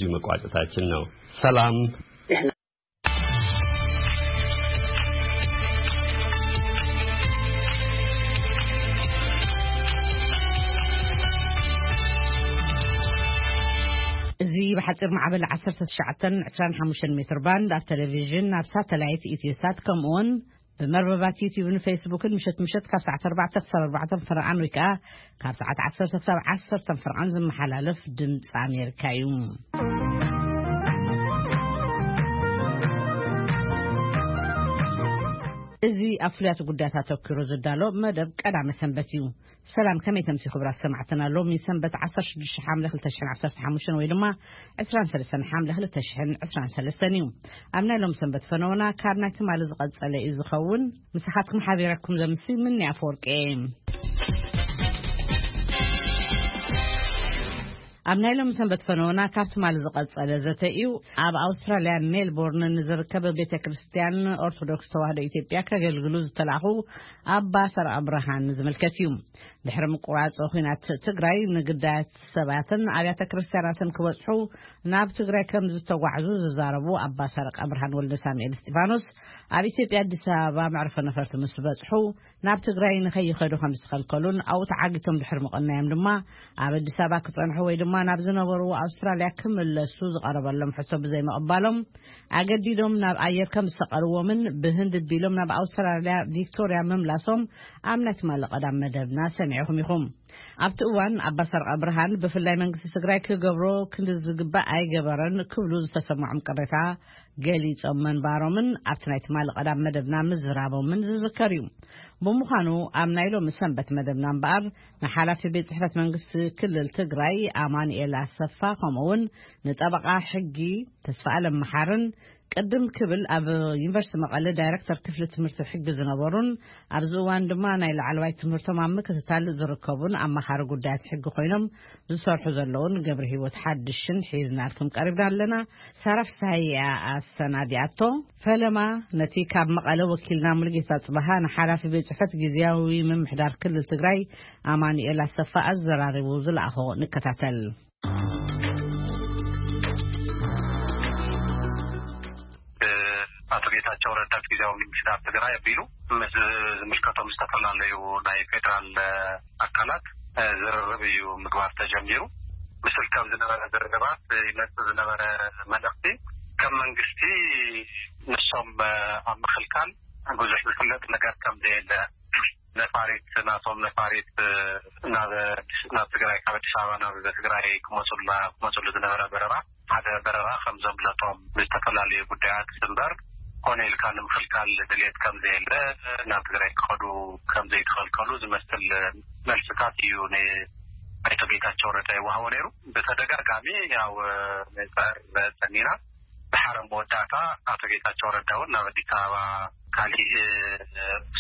እዚሁ መቋጨታችን ነው። ሰላም። እዚ ብሓፂር ማዕበል ዓሰርተ ትሽዓተን ዕስራን ሓሙሽተን ሜትር ባንድ ኣብ ቴሌቪዥን፣ ኣብ ሳተላይት ኢትዮሳት፣ ከምኡውን ብመርበባት ዩቲዩብን ፌስቡክን ምሸት ምሸት ካብ ሰዓት ኣርባዕተ ክሳብ ኣርባዕተ ፈረቓን ወይ ከዓ ካብ ሰዓት ዓሰርተ ክሳብ ዓሰርተ ፈረቓን ዝመሓላለፍ ድምፂ ኣሜሪካ እዩ። እዚ ኣብ ፍሉያት ጉዳያት ኣተኪሩ ዝዳሎ መደብ ቀዳመ ሰንበት እዩ። ሰላም፣ ከመይ ተምሲ ክቡራት ሰማዕትና? ሎሚ ሰንበት ዓሰርተ ሽዱሽተ ሓምለ ክልተ ሽሕን ዓሰርተ ሓሙሽተን ወይ ድማ ዕስራን ሰለስተን ሓምለ ክልተ ሽሕን ዕስራን ሰለስተን እዩ። ኣብ ናይ ሎም ሰንበት ፈነወና ካብ ናይ ትማሊ ዝቐጸለ እዩ ዝኸውን። ምሳኻትኩም ሓቢረኩም ዘምሲ ምኒ ኣፈወርቂ እየ። ኣብ ናይ ሎም ሰንበት ፈነወና ካብ ትማሊ ዝቐጸለ ዘተ እዩ። ኣብ ኣውስትራልያ ሜልቦርን ንዝርከብ ቤተ ክርስቲያን ኦርቶዶክስ ተዋህዶ ኢትዮጵያ ከገልግሉ ዝተላኹ ኣባ ሰርዐ ብርሃን ዝምልከት እዩ። ድሕሪ ምቁራጽ ኹናት ትግራይ ንግዳያት ሰባትን ኣብያተ ክርስቲያናትን ክበጽሑ ናብ ትግራይ ከም ዝተጓዕዙ ዝዛረቡ ኣባ ሰርዐ ብርሃን ወልደ ሳሙኤል እስጢፋኖስ፣ ኣብ ኢትዮጵያ ኣዲስ ኣበባ መዕርፎ ነፈርቲ ምስ በጽሑ ናብ ትግራይ ንኸይኸዱ ከም ዝተኸልከሉን ኣብኡ ተዓጊቶም ድሕሪ ምቕናዮም ድማ ኣብ ኣዲስ ኣበባ ክጸንሑ ወይ ድማ ናብ ዝነበሩ ኣውስትራልያ ክምለሱ ዝቐረበሎም ሕቶ ብዘይምቕባሎም ኣገዲዶም ናብ ኣየር ከም ዝሰቐልዎምን ብህንድ ቢሎም ናብ ኣውስትራልያ ቪክቶርያ ምምላሶም ኣብ ናይ ትማሊ ቀዳም መደብና ሰሚዕኹም ኢኹም። ኣብቲ እዋን ኣባ ሰርዐ ብርሃን ብፍላይ መንግስቲ ትግራይ ክገብሮ ክንዲ ዝግባእ ኣይገበረን ክብሉ ዝተሰምዖም ቅሬታ ገሊጾም መንባሮምን ኣብቲ ናይ ትማሊ ቀዳም መደብና ምዝራቦምን ዝዝከር እዩ። ብምዃኑ ኣብ ናይ ሎሚ ሰንበት መደብና እምበኣር ንሓላፊ ቤት ጽሕፈት መንግስቲ ክልል ትግራይ ኣማኑኤል ኣሰፋ፣ ከምኡ እውን ንጠበቓ ሕጊ ተስፋ ኣለም መሓርን ቅድም ክብል ኣብ ዩኒቨርሲቲ መቐለ ዳይሬክተር ክፍሊ ትምህርቲ ሕጊ ዝነበሩን ኣብዚ እዋን ድማ ናይ ላዕለዋይ ትምህርቶም ኣብ ምክትታል ዝርከቡን ኣማኻሪ ጉዳያት ሕጊ ኮይኖም ዝሰርሑ ዘለውን ገብረ ህይወት ሓድሽን ሒዝናልኩም ቀሪብና ኣለና። ሳራ ፍስሃየ እያ ኣሰናዲኣቶ። ፈለማ ነቲ ካብ መቐለ ወኪልና ሙሉጌታ ጽበሃ ንሓላፊ ቤት ጽሕፈት ግዝያዊ ምምሕዳር ክልል ትግራይ ኣማኑኤል ኣሰፋ ኣዘራሪቡ ዝለኣኾ ንከታተል። ኣቶ ጌታቸው ረዳ ግዝያዊ ምምሕዳር ትግራይ ኣቢሉ ምስ ዝምልከቶም ዝተፈላለዩ ናይ ፌዴራል ኣካላት ዝርርብ እዩ ምግባር ተጀሚሩ። ምስል ከም ዝነበረ ዝርርባት ይመጽእ ዝነበረ መልእኽቲ ከም መንግስቲ ንሶም ኣብ ምክልካል ብዙሕ ዝፍለጥ ነገር ከም ዘየለ፣ ነፋሪት ናቶም ነፋሪት ናብ ናብ ትግራይ ካብ ኣዲስ ኣበባ ናብ ትግራይ ክመፁላ ክመፅሉ ዝነበረ በረራ ሓደ በረራ ከም ዘምለጦም ብዝተፈላለዩ ጉዳያት እምበር ኮነ ኢልካ ንምክልካል ድሌት ከም ዘየለ ናብ ትግራይ ክኸዱ ከም ዘይተኸልከሉ ዝመስል መልስታት እዩ ንኣይቶ ጌታቸው ረዳ ይወሃቦ ነይሩ። ብተደጋጋሚ ያው ንፅዕር ፀኒና ድሓር መወዳእታ ኣቶ ጌታቸው ረዳ እውን ናብ ኣዲስ ኣበባ ካሊእ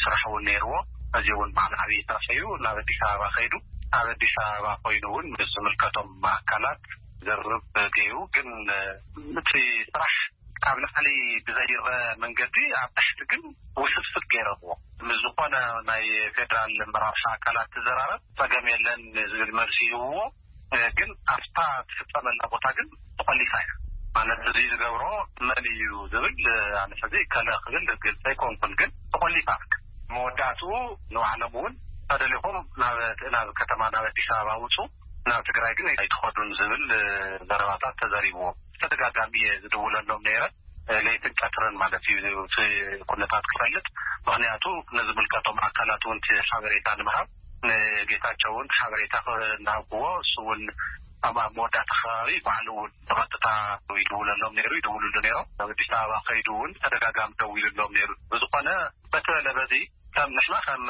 ስራሕ እውን ነይርዎ። እዚ እውን በዓል ዓብዪ ስራሕ እዩ። ናብ ኣዲስ ኣበባ ከይዱ ኣብ ኣዲስ ኣበባ ኮይኑ እውን ምስ ዝምልከቶም ኣካላት ዝርርብ ገይሩ፣ ግን እቲ ስራሕ ካብ ላዕሊ ብዘይረአ መንገዲ ኣብ ታሕቲ ግን ውስብስብ ገይረምዎ። ምስ ዝኾነ ናይ ፌዴራል መራርሒ ኣካላት ትዘራረብ ጸገም የለን ዝብል መልሲ ይህብዎ። ግን ኣብታ ትፍጸመላ ቦታ ግን ተቆሊፋ እያ። ማለት እዚ ዝገብሮ መን እዩ ዝብል ኣነ ሕዚ ከለ ክብል ግልፂ ኣይኮንኩን፣ ግን ተቆሊፋ። መወዳእትኡ ንባዕሎም እውን ተደሊኹም ናብ ናብ ከተማ ናብ ኣዲስ ኣበባ ውፁ፣ ናብ ትግራይ ግን ኣይትኸዱን ዝብል ዘረባታት ተዘሪብዎም። ተደጋጋሚ እየ ዝድውለሎም ነይረ፣ ለይትን ቀትርን ማለት እዩ፣ እቲ ኩነታት ክፈልጥ። ምክንያቱ ነዝምልከቶም ኣካላት እውን እቲ ሓበሬታ ንምሃብ፣ ንጌታቸው እውን ሓበሬታ እናሃብክዎ፣ እሱ እውን ኣብ ኣብ መወዳእታ ከባቢ ባዕሉ እውን ብቐጥታ ይድውለሎም ነይሩ፣ ይድውልሉ ነይሮም። ኣብ ኣዲስ ኣበባ ከይዱ እውን ተደጋጋሚ ደዊሉሎም ነይሩ። ብዝኾነ በቲ በለ በዚ ከም ንሕና ከም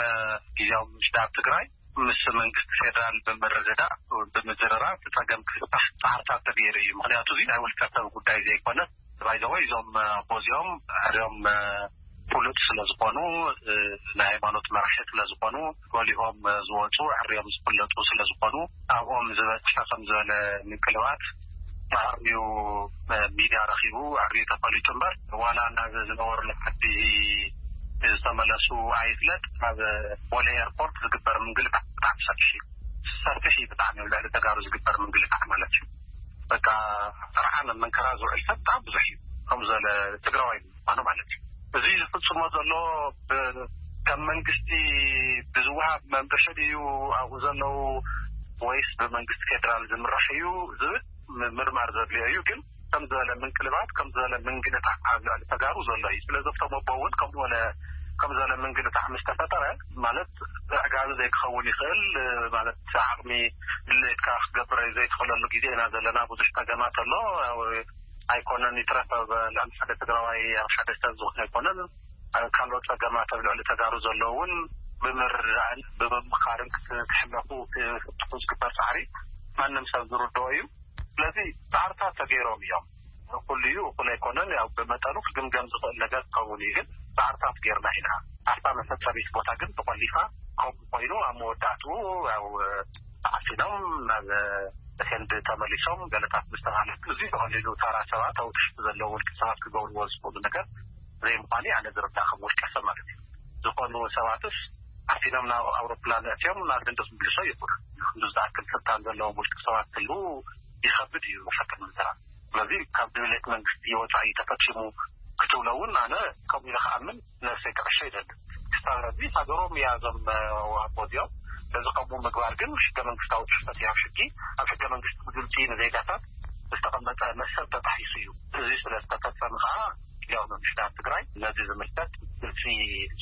ግዝያዊ ምምሕዳር ትግራይ ምስ መንግስቲ ፌደራል ብምርድዳእ ብምዝርራብ እቲ ጸገም ክፍታሕ ጻዕርታት ተገይሩ እዩ። ምክንያቱ እዚ ናይ ውልቀ ሰብ ጉዳይ ዘይኮነ፣ ባይዘወይ እዞም ኣቦ እዚኦም ሕርዮም ፍሉጥ ስለ ዝኾኑ፣ ናይ ሃይማኖት መራሒ ስለ ዝኾኑ፣ ጎሊሆም ዝወፁ ሕርዮም ዝፍለጡ ስለ ዝኾኑ፣ ኣብኦም ዝበፅሐ ከም ዝበለ ምንቅልባት ብዓርብዩ ሚድያ ረኺቡ፣ ብዓርብዩ ተፈሊጡ እምበር፣ ዋላ ናብ ዝነበሩሉ ዓዲ ዝተመለሱ ኣይፍለጥ። ኣብ ቦሌ ኤርፖርት ዝግበር ምንግልታዕ ብጣዕሚ ሰፊሕ እዩ። ሰፊሕ እዩ ብጣዕሚ፣ ኣብ ልዕሊ ተጋሩ ዝግበር ምንግልታዕ ማለት እዩ። በቃ ጥርዓን መንከራ ዝውዕል ሰብ ብጣዕሚ ብዙሕ እዩ። ከም ዘለ ትግራዋይ ምኳኑ ማለት እዩ። እዚ ዝፍጽሞ ዘሎ ብ-፣ ከም መንግስቲ ብዝወሃብ መምርሒ ድዩ ኣብኡ ዘለዉ ወይስ ብመንግስቲ ፌደራል ዝምራሕ እዩ ዝብል ም-፣ ምርማር ዘድልዮ እዩ። ግን ከም ዝበለ ምንቅልባት፣ ከም ዝበለ ምንግልታት ኣብ ልዕሊ ተጋሩ ዘሎ እዩ። ስለዚ እቶም ኣቦ እውን ከም ዝበለ፣ ከም ዝበለ ምንግልታት ምስ ተፈጠረ፣ ማለት ዕጋቢ ዘይክኸውን ይኽእል፣ ማለት ዓቕሚ ድሌትካ ክትገብር ዘይትኽእለሉ ግዜ ኢና ዘለና። ብዙሕ ጸገማት ኣሎ። ያው ኣይኮነን ይትረፍ ኣብ ልዕሊ ሓደ ትግራዋይ፣ ኣብ ሓደ ሰብ ዝኾነ ኣይኮነን። ኣብ ካልኦት ጸገማት ኣብ ልዕሊ ተጋሩ ዘለዉ እውን ብምርድዳእን ብምምኻርን ክት-፣ ክሕለፉ ክፍትሑ ዝግበር ጻዕሪ ማንም ሰብ ዝርድኦ እዩ። ስለዚ ጻዕርታት ተገይሮም እዮም። ኩሉ እዩ፣ እኩል ኣይኮነን። ያው ብመጠኑ ክግምገም ዝኽእል ነገር ክኸውን እዩ። ግን ጻዕርታት ገይርና ኢና። ኣብታ መፈጸሚት ቦታ ግን ተቆሊፋ ከምኡ ኮይኑ ኣብ መወዳእትኡ ያው ተዓፊኖም ናብ ህንዲ ተመሊሶም ገለታት ምስ ተባህለ፣ እዚ ብቐሊሉ ተራ ሰባት ኣብ ትሕቲ ዘለዉ ውልቀ ሰባት ክገብርዎ ዝኽእሉ ነገር ዘይምዃኑ ኣነ ዝርዳእ ከም ውልቀ ሰብ ማለት እዩ። ዝኾኑ ሰባትስ ዓፊኖም ናብ ኣውሮፕላን ኣእትዮም ናብ ህንዲ ክምልሶ ይኽእሉ። ክንዲ ዝኣክል ስልጣን ዘለዎም ውልቀ ሰባት ክህልዉ ይኸብድ እዩ ብሓቂ ንምዝራብ። ስለዚ ካብ ድሌት መንግስቲ ወፃኢ ተፈፂሙ ክትብሎ እውን ኣነ ከምኡ ኢለ ክኣምን ነብሰይ ክዕሾ ይደሊ። ክሳብ ሕዚ ሃገሮም እያ እዞም ወሃቦ እዚኦም። ስለዚ ከምኡ ምግባር ግን ሕገ መንግስታዊ ጥሕሰት እዩ። ኣብ ሕጊ፣ ኣብ ሕገ መንግስቲ ብግልፂ ንዜጋታት ዝተቐመጠ መሰል ተጣሒሱ እዩ። እዚ ስለ ዝተፈፀመ ከዓ ያው ምምሕዳር ትግራይ ነዚ ዝምልከት ግልፂ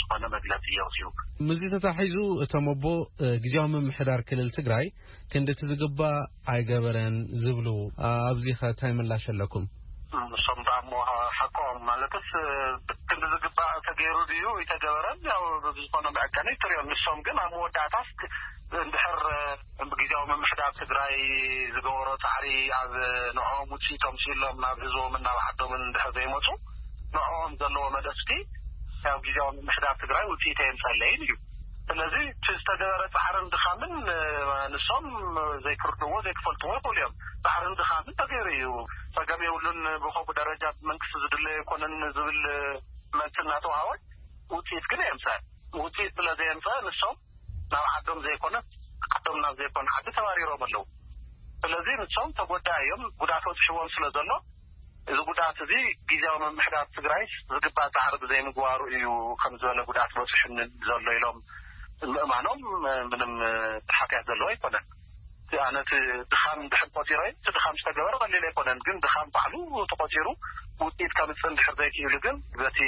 ዝኾነ መግለፂ የውፅኡ። ምስዚ ተታሒዙ እቶም ኣቦ፣ እ፣ ግዝያዊ ምምሕዳር ክልል ትግራይ ክንድቲ ዝግባእ ኣይገበረን ዝብሉ፣ እ፣ ኣብዚ ኸ እንታይ ምላሽ ኣለኩም? እም፣ እሶም ደኣ እሞ ሓቆም ማለትስ፣ እ፣ ክንዲ ዝግባእ ተገይሩ ድዩ ኣይተገበረን? ያው ብዝኾነ መዐቀኒ ትሪኦ። ንሶም ግን ኣብ መወዳእታስ ክ-፣ እንድሕር፣ እ፣ ግዝያዊ ምምሕዳር ትግራይ ዝገበሮ ፃዕሪ ኣብ ንዕኦም ውፅኢቶም ስኢሎም ናብ ህዝቦምን ናብ ዓዶምን እንድሕር ዘይመፁ፣ ንዕኦም ዘለዎ መልእኽቲ ያው ግዝያዊ ምምሕዳር ትግራይ ውፅኢት ኣየምፀለይን እዩ። ስለዚ እቲ ዝተገበረ ፃዕርን ድኻምን፣ እ፣ ንሶም ዘይክርድዎ ዘይክፈልጥዎ ይኽእሉ እዮም። ፃዕርን ድኻምን ተገይሩ እዩ። ፀገም የብሉን፣ ብኸምኡ ደረጃ ብመንግስቲ ዝድለ ኣይኮነን ዝብል መልሲ እናተውሃቦ ውፅኢት ግን ኣየምፀአን። ውፅኢት ስለ ዘየምፀአ ንሶም ናብ ዓዶም ዘይኮነስ ዓዶም ናብ ዘይኮነ ዓዲ ተባሪሮም ኣለዉ። ስለዚ ንሶም ተጎዳኢ እዮም፣ ጉድኣት በፂሕዎም ስለ ዘሎ፣ እዚ ጉድኣት እዚ ግዝያዊ ምምሕዳር ትግራይስ ዝግባእ ፃዕሪ ብዘይምግባሩ እዩ ከም ዝበለ ጉድኣት በፂሑኒ ዘሎ ኢሎም ምእማኖም ምንም ሓጢኣት ዘለዎ ኣይኮነን። ኣነ እቲ ድኻም እንድሕር ቆፂረ፣ እቲ ድኻም ዝተገበረ ቀሊል ኣይኮነን፣ ግን ድኻም ባዕሉ ተቆፂሩ ውፅኢት ከምፅእ እንድሕር ዘይክኢሉ ግን በቲ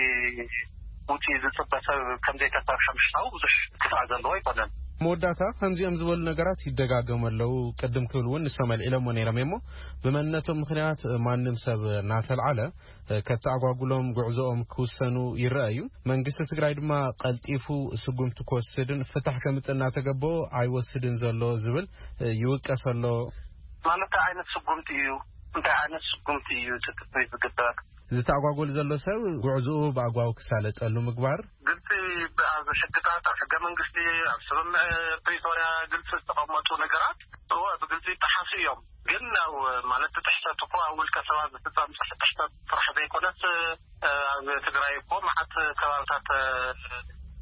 ውፅኢት ዝፅበ ሰብ ከም ዘይተሰርሐ ምሕሳቡ ብዙሕ ክፍኣ ዘለዎ ኣይኮነን። መወዳእታ ከምዚኦም ዝበሉ ነገራት ይደጋገሙ ኣለዉ። ቅድም ክብል እውን ንሶም ኣልዒሎሞ ነይሮም እሞ፣ ብመንነቶም ምኽንያት ማንም ሰብ እናተልዓለ፣ እ፣ ከተኣጓጉሎም ጉዕዞኦም ክውሰኑ ይረኣዩ። መንግስቲ ትግራይ ድማ ቀልጢፉ ስጉምቲ ክወስድን ፍታሕ ከምጽእ እናተገበኦ ኣይወስድን ዘሎ ዝብል፣ እ፣ ይውቀስ ኣሎ። ማለት እንታይ ዓይነት ስጉምቲ እዩ? እንታይ ዓይነት ስጉምቲ እዩ እቲ ትጽቢት ዝግበር? ዝተኣጓጎል ዘሎ ሰብ ጉዕዞኡ ብኣግባቡ ክሳለጠሉ ምግባር። ግልፂ፣ ኣብ ሕግታት፣ ኣብ ሕገ መንግስቲ፣ ኣብ ስምምዕ ፕሪቶርያ ግልፂ ዝተቐመጡ ነገራት እወ ብግልፂ ይጠሓሱ እዮም። ግን ያው ማለት እቲ ጥሕሰት እኮ ኣብ ውልቀ ሰባት ዝፍፀም ጥሕ-፣ ጥሕሰት ጥራሕ ዘይኮነስ፣ እ፣ ኣብ ትግራይ እኮ መዓት ከባብታት፣ እ፣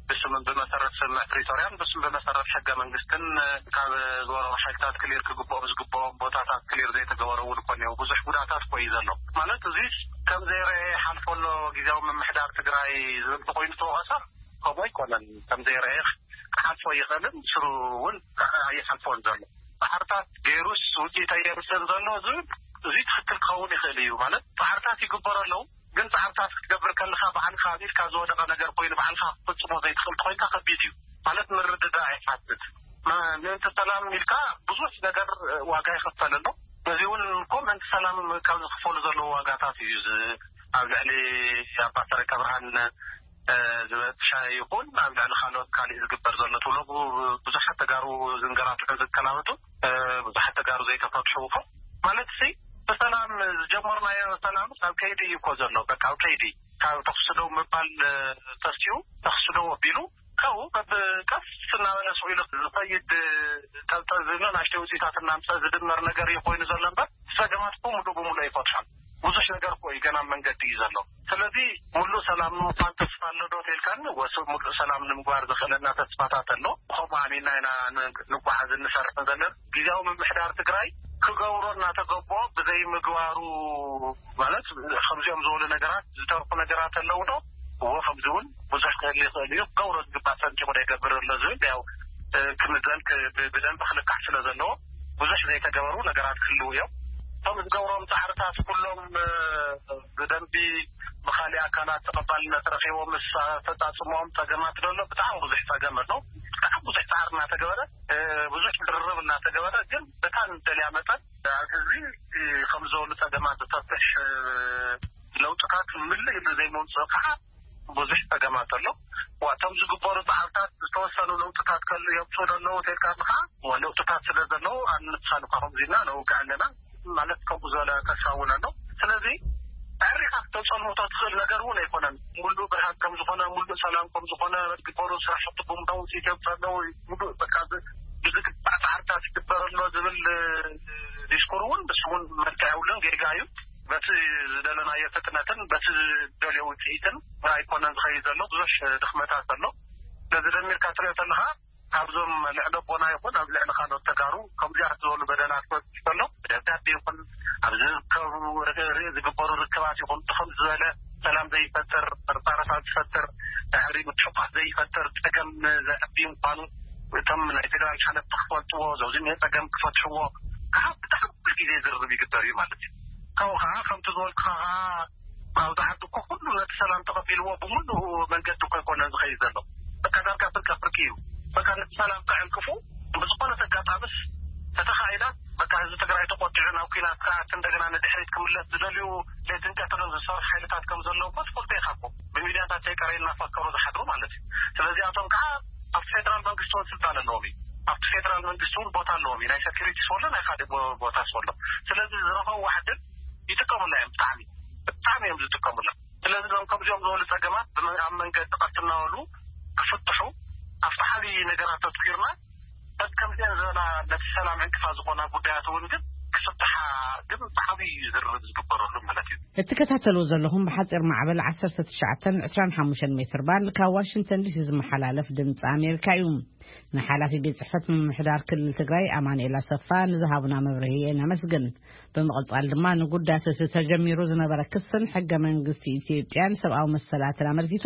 ብስም ብመሰረት ስምምዕ ፕሪቶርያን ብስም ብመሰረት ሕገ መንግስትን፣ እ፣ ካብ ዝወረሩ ሓይልታት ክሊር ክግብኦም ዝግብኦም ቦታታት ክሊር ዘይተገበረ እውን እኮ እኒኦ። ብዙሕ ጉዳታት እኮ እዩ ዘሎ። ማለት እዚስ ከም ዘይረአ ይሓልፎ ኣሎ ግዝያዊ ምምሕዳር ትግራይ ዝብል ተኮይኑ ተወቀሳ ከምኡ ኣይኮነን። ከም ዘይረአ ክሓልፎ ይኽእልን ስሩ እውን ኣይሓልፎን ዘሎ። ፃዕርታት ገይሩስ ውፅኢት ኣየምፅእን ዘሎ ዝብል እዚ ትኽክል ክኸውን ይኽእል እዩ። ማለት ፃዕርታት ይግበሩ ኣለዉ፣ ግን ፃዕርታት ክትገብር ከለኻ ባዕልኻ ኣብ ኢድካ ዝወደቐ ነገር ኮይኑ ባዕልኻ ክትፍፅሞ ዘይትኽእል ተኮይንካ ከቢድ እዩ። ማለት ምርድዳእ ይሓትት። ም-፣ ምእንቲ ሰላም ኢልካ ብዙሕ ነገር ዋጋ ይኽፈል ኣሎ። እዚ እውን እኮ ምእንቲ ሰላም ካብ ዝኽፈሉ ዘለዉ ዋጋታት እዩ። እዚ ኣብ ልዕሊ ኣባ ሰረቀ ብርሃን እ፣ ዝበፅሐ ይኹን ኣብ ልዕሊ ካልኦት ካሊእ ዝግበር ዘሎ ትብሎ ቡ-፣ ብዙሓት ተጋሩ ዝንገላትዑ ዝከላበቱ፣ እ፣ ብዙሓት ተጋሩ ዘይተፈትሑ እኮ ማለት ሲ ብሰላም ዝጀመርናዮ ሰላም ኣብ ከይዲ እዩ እኮ ዘሎ። በቃ ኣብ ከይዲ ካብ ተኽሲ ደው ምባል፣ እ፣ ተሲኡ ተኽሲ ደው ኣቢሉ ካብኡ በብ ቀስ እናበለ ስቕ ኢሉ ዝኸይድ፣ እ፣ ጠብጠብ ዝብሎ ናሽተይ ውፅኢታት እናምፀ ዝድመር ነገር እዩ ኮይኑ ዘሎ እምበር ፀገማት እኮ ሙሉእ ብሙሉእ ኣይፈትሖን። ብዙሕ ነገር እኮ እዩ ገና ኣብ መንገዲ እዩ ዘሎ። ስለዚ ሙሉእ ሰላም ንምዃን ተስፋ ኣሎ ዶ ተልካኒ? ወስ ሙሉእ ሰላም ንምግባር ዘኽእለና ተስፋታት ኣሎ። ብኸምኡ ኣሚንና ኢና ን-፣ ንጓዓዝ እንሰርሕ ዘለና። ግዝያዊ ምምሕዳር ትግራይ ክገብሮ እናተገቦ ብዘይምግባሩ፣ ማለት ከምዚኦም ዝበሉ ነገራት ዝተርፉ ነገራት ኣለዉ ዶ? እዎ፣ ከምዚ እውን ብዙሕ ክህል ይኽእል እዩ። ክገብሮ ዝግባእ ሰንጢቑ ዘይገብር ኣሎ ዝብል ያው ክምዘን ብደንብ ክልካዕ ስለ ዘለዎ ብዙሕ ዘይተገበሩ ነገራት ክህልዉ እዮም። እቶም ዝገብሮም ፃዕርታት ኩሎም ብደንቢ ብካሊእ ኣካላት ተቐባልነት ረኪቦም ምስ ኣፈፃፅሞም ፀገማት ዘሎ ብጣዕሚ ብዙሕ ፀገም ኣሎ። ብጣዕሚ ብዙሕ ፃዕሪ እናተገበረ፣ ብዙሕ ድርርብ እናተገበረ፣ ግን በታ ንደልያ መጠን ኣብ ህዝቢ ከም ዝበሉ ፀገማት ዝፈትሕ ለውጥታት ምልእ ኢሉ ዘይመውፅእ ከዓ ብዙሕ ፀገማት ኣሎ። ዋቶም ዝግበሩ በዓልታት ዝተወሰኑ ለውጥታት ከሉ የምፅኡ ኣለዉ ተልካ ኣለካ። ለውጥታት ስለ ዘለዉ ኣንሳልካ ከምዚና ነውግዕ ኣለና ማለት ከምኡ ዝበለ ተስፋ እውን ኣሎ። ስለዚ ዕሪኻ ክተፀልምቶ ትኽእል ነገር እውን ኣይኮነን። ሙሉእ ብርሃን ከም ዝኾነ፣ ሙሉእ ሰላም ከም ዝኾነ፣ ዝግበሩ ስራሕቲ ብምዳ ውፅኢት የምፅእ ኣለዉ፣ ሙሉእ በቃ ብዝግባእ ፃዕርታት ይግበር ኣሎ ዝብል ዲስኩር እውን ንሱ እውን መልክዕ የብሉን፣ ጌጋ እዩ። በቲ ዝደለናዮ ፍጥነትን በቲ ዝደልዮ ውፅኢትን ኣይኮነን ዝኸይድ ዘሎ፣ ብዙሕ ድኽመታት ኣሎ። ስለዚ ደሚርካ ትሪኦ ተለኻ ካብዞም ልዕሊ ኣቦና ይኹን ኣብ ልዕሊ ካልኦት ተጋሩ ከምዚኣት ዝበሉ በደላት ክበፅሕ ከሎ ብደብዳቤ ይኹን ኣብ ዝርከቡ ርእ ዝግበሩ ርክባት ይኹን ብኸም ዝበለ ሰላም ዘይፈጥር፣ ርፋረፋት ዝፈጥር፣ ድሕሪ ምትሕቋፍ ዘይፈጥር ፀገም ዘዕቢ ምኳኑ እቶም ናይ ፌደራል ሓለፍቲ ክፈልጥዎ፣ ዘውዚ እኒሀ ፀገም ክፈትሕዎ ከዓ ብጣዕሚ ኩሉ ግዜ ዝርርብ ይግበር እዩ ማለት እዩ። ካብኡ ከዓ ከምቲ ዝበልኩኻ ከዓ ኣብዚ ዓዲ እኮ ኩሉ ነቲ ሰላም ተቐቢልዎ ብምሉእ መንገዲ እኮ ኣይኮነን ዝኸይድ ዘሎ። በቃ ዳርጋ ፍርቀ ፍርቂ እዩ። በቃ ነቲ ሰላም ከዕንቅፉ ብዝኾነት ኣጋጣምስ ተተኻኢላ በቃ ህዝቢ ትግራይ ተቆጢዑ ናብ ኲናት ክኣት እንደገና ንድሕሪት ክምለስ ዝደልዩ ለይትን ቀትርን ዝሰርሑ ሓይልታት ከም ዘለዉ እኮ ትፈልጦ ኢኻ እኮ። ብሚድያታት ዘይቀረዩ እናፈከሩ ዝሓድሩ ማለት እዩ። ስለዚኣቶም ከዓ ኣብቲ ፌደራል መንግስቲ እውን ስልጣን ኣለዎም እዩ። ኣብቲ ፌደራል መንግስቲ እውን ቦታ ኣለዎም እዩ። ናይ ሰኪሪቲ ስወሎ ናይ ካልእ ቦታ ስወሎ። ስለዚ ዝረኸቡ ዋሕድን ይጥቀሙላ እዮም። ብጣዕሚ ብጣዕሚ እዮም ዝጥቀሙላ። ስለዚ እዞም ከምዚኦም ዝበሉ ፀገማት ኣብ መንገዲ ቀስ እናበሉ ክፍትሑ ኣብቲ ዓብዪ ነገራት ተትኪርና በቲ ከምዚአን ዝበላ ነቲ ሰላም ዕንቅፋ ዝኾና ጉዳያት እውን ግን ክፍትሓ ግን ብዓብዪ እዩ ዝርርብ ዝግበረሉ ማለት እዩ። እትከታተልዎ ዘለኹም ብሓፂር ማዕበል ዓሰርተ ትሽዓተን ዕስራን ሓሙሽተን ሜትር ባንድ ካብ ዋሽንግተን ዲሲ ዝመሓላለፍ ድምፂ ኣሜሪካ እዩ። ንሓላፊ ቤት ፅሕፈት ምምሕዳር ክልል ትግራይ ኣማኑኤል ኣሰፋ ንዝሃቡና መብርሂ ነመስግን። ብምቕፃል ድማ ንጉዳያት እቲ ተጀሚሩ ዝነበረ ክስን ሕገ መንግስቲ ኢትዮጵያን ሰብኣዊ መሰላትን ኣመልኪቱ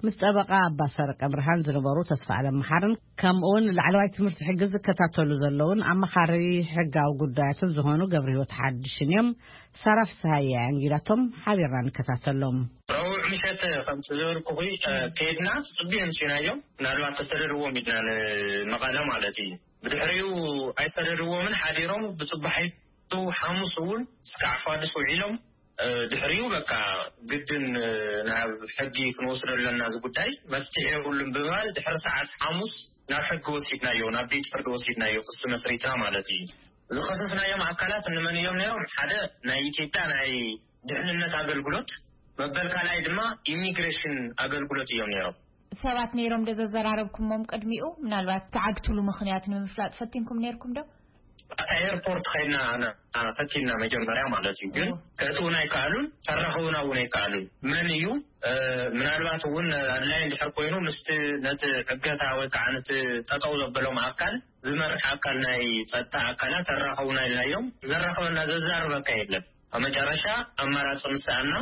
ምስ ጠበቓ ኣባ ሰረቀ ብርሃን ዝነበሩ ተስፋ ኣለም መሓርን ከምኡ እውን ላዕለዋይ ትምህርቲ ሕጊ ዝከታተሉ ዘለውን ኣመኻሪ ሕጋዊ ጉዳያትን ዝኾኑ ገብረ ህይወት ሓድሽን እዮም። ሳራ ፍስሃየ ኣንጊዳቶም ሓቢርና ንከታተሎም። ረቡዕ ምሸት ከምቲ ዝበልኩኺ ከይድና ጽቡዮም ሲናዮም ምናልባት ተሰደድዎም ኢድና ንመቐለ ማለት እዩ። ብድሕሪኡ ኣይሰደድዎምን ሓዲሮም ብጽባሒቱ ሓሙስ እውን እስካዕ ፋድስ ውዒሎም ድሕሪኡ በቃ ግድን ናብ ሕጊ ክንወስዶ ኣለና እዚ ጉዳይ መፍትሒ የብሉን ብምባል ድሕሪ ሰዓት ሓሙስ ናብ ሕጊ ወሲድናዮ ናብ ቤት ፍርዲ ወሲድናዮ ክሲ መስሪትና ማለት እዩ። ዝኸሰስናዮም ኣካላት እንመን እዮም ነይሮም? ሓደ ናይ ኢትዮጵያ ናይ ድሕንነት ኣገልግሎት መበል ካልኣይ ድማ ኢሚግሬሽን ኣገልግሎት እዮም ነይሮም። ሰባት ነይሮም ዶ ዘዘራረብኩሞም ቅድሚኡ? ምናልባት ተዓግትሉ ምኽንያት ንምፍላጥ ፈቲንኩም ነይርኩም ዶ? ኣብታ ኤርፖርት ከይድና ፈቲንና መጀመርያ ማለት እዩ። ግን ከእትውና ኣይከኣሉን፣ ከራኽቡና እውን ኣይከኣሉን። መን እዩ ምናልባት እውን ኣድላይ እንድሕር ኮይኑ ምስቲ ነቲ ዕገታ ወይ ከዓ ነቲ ጠጠው ዘበሎም ኣካል ዝመርሕ ኣካል ናይ ፀጥታ ኣካላት ኣራኸቡና ኢልናዮም። ዘራኸበና ዘዛርበካ የለን። ኣብ መጨረሻ ኣማራፂ ምስ ሰኣና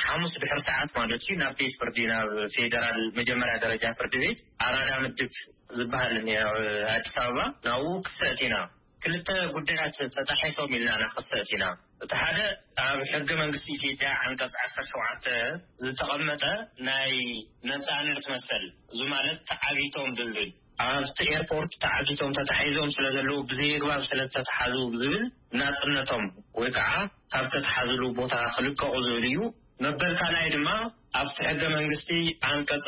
ሓሙስ ድሕሪ ሰዓት ማለት እዩ ናብ ቤት ፍርዲ ናብ ፌደራል መጀመርያ ደረጃ ፍርዲ ቤት ኣራዳ ምድብ ዝበሃል እኒአ ኣብ ኣዲስ ኣበባ ናብኡ ክሰእት ኢና። ክልተ ጉዳያት ተጣሒሶም ኢልና ኢና ክሰእት ኢና። እቲ ሓደ ኣብ ሕገ መንግስቲ ኢትዮጵያ ዓንቀፅ ዓሰርተ ሸውዓተ ዝተቐመጠ ናይ ነፃነት መሰል እዚ ማለት ተዓጊቶም ብዝብል ኣብቲ ኤርፖርት ተዓጊቶም ተታሒዞም ስለ ዘለዉ ብዘየግባብ ስለ ዝተተሓዙ ብዝብል ናፅነቶም ወይ ከዓ ካብ ተተሓዝሉ ቦታ ክልቀቑ ዝብል እዩ። መበል ካልኣይ ድማ ኣብቲ ሕገ መንግስቲ ዓንቀፅ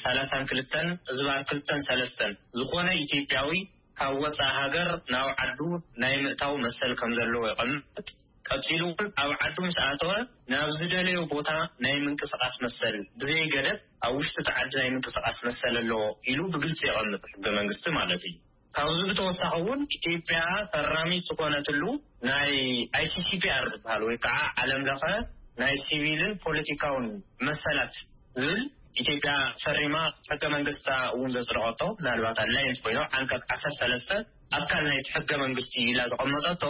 ሰላሳን ክልተን ዝባር ክልተን ሰለስተን ዝኾነ ኢትዮጵያዊ ካብ ወፃኢ ሃገር ናብ ዓዱ ናይ ምእታው መሰል ከም ዘለዎ የቐምጥ። ቀፂሉ እውን ኣብ ዓዱ ምስ ኣተወ ናብ ዝደለዮ ቦታ ናይ ምንቅስቃስ መሰል ብዘይ ገደብ ኣብ ውሽጢ እቲ ዓዲ ናይ ምንቅስቃስ መሰል ኣለዎ ኢሉ ብግልፂ የቐምጥ ሕገ መንግስቲ ማለት እዩ። ካብዚ ብተወሳኺ እውን ኢትዮጵያ ፈራሚት ዝኾነትሉ ናይ ኣይሲሲፒኣር ዝበሃል ወይ ከዓ ዓለም ለኸ ናይ ሲቪልን ፖለቲካውን መሰላት ዝብል ኢትዮጵያ ፈሪማ ሕገ መንግስታ እውን ዘጽደቐቶ፣ ምናልባት ኣላይንት ኮይኖ ዓንቀጽ ዓሰርተ ሰለስተ ኣካል ናይቲ ሕገ መንግስቲ ኢላ ዘቐመጠቶ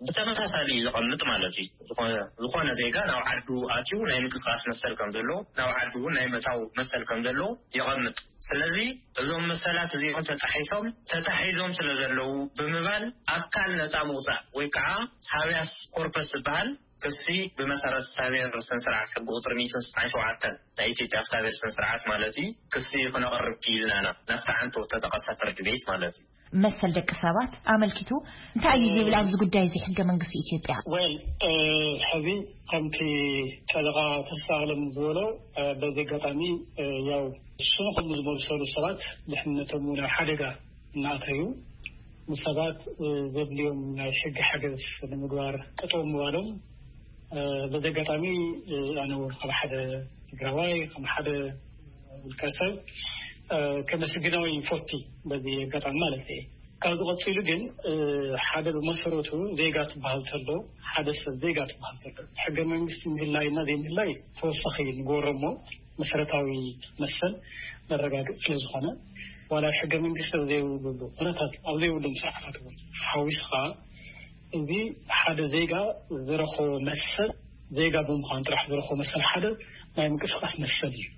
ብተመሳሳሊ እዩ ዘቐምጥ ማለት እዩ። ዝኾነ፣ ዝኾነ ዜጋ ናብ ዓዱ ኣትዩ ናይ ምንቅስቃስ መሰል ከም ዘለዎ፣ ናብ ዓዱ እውን ናይ መታው መሰል ከም ዘለዎ የቐምጥ። ስለዚ እዞም መሰላት እዚኦም ተጣሒሶም፣ ተታሒዞም ስለ ዘለዉ ብምባል ኣካል ነጻ ምውጻእ ወይ ከዓ ሃቢያስ ኮርፐስ ዝበሃል ክሲ ብመሰረት ፍትሐብሔር ስነ ስርዓት ሕጊ ቁፅሪ ሚእትን ስሳን ሸውዓተን ናይ ኢትዮጵያ ፍትሐብሔር ስነ ስርዓት ማለት እዩ፣ ክሲ ክነቕርብ ክኢልና ኢና፣ ናብቲ ዓንቶ ተጠቐሰ ፍርዲ ቤት ማለት እዩ። መሰል ደቂ ሰባት ኣመልኪቱ እንታይ እዩ ዝብል ኣብዚ ጉዳይ እዚ ሕገ መንግስቲ ኢትዮጵያ? ወል ሕዚ ከምቲ ጠበቃ ተስፋ ኣለም ዝበሎ፣ በዚ ኣጋጣሚ ያው ሽሙ ከም ዝመልሰሉ ሰባት ድሕነቶም እውን ኣብ ሓደጋ እናኣተዩ ንሰባት ዘድልዮም ናይ ሕጊ ሓገዝ ንምግባር ጠጠው ምባሎም፣ በዚ ኣጋጣሚ ኣነ እውን ከም ሓደ ትግራዋይ፣ ከም ሓደ ውልቀ ሰብ ከመስግኖ ይፈቲ በዚ ኣጋጣሚ ማለት እዩ። ካብዚ ቀፂሉ ግን ሓደ ብመሰረቱ ዜጋ ትበሃል ተሎ፣ ሓደ ሰብ ዜጋ ትበሃል ተሎ፣ ሕገ መንግስቲ ምህላይና ዘይምህላይ ተወሳኺ ንገብሮ እሞ መሰረታዊ መሰል መረጋገፂ ስለ ዝኾነ፣ ዋላ ሕገ መንግስቲ ኣብ ዘይብሉ ኩነታት፣ ኣብ ዘይብሎም ስርዓታት እውን ሓዊስኻ፣ እዚ ሓደ ዜጋ ዝረኸቦ መሰል፣ ዜጋ ብምዃን ጥራሕ ዝረኸቦ መሰል ሓደ ናይ ምንቅስቃስ መሰል እዩ።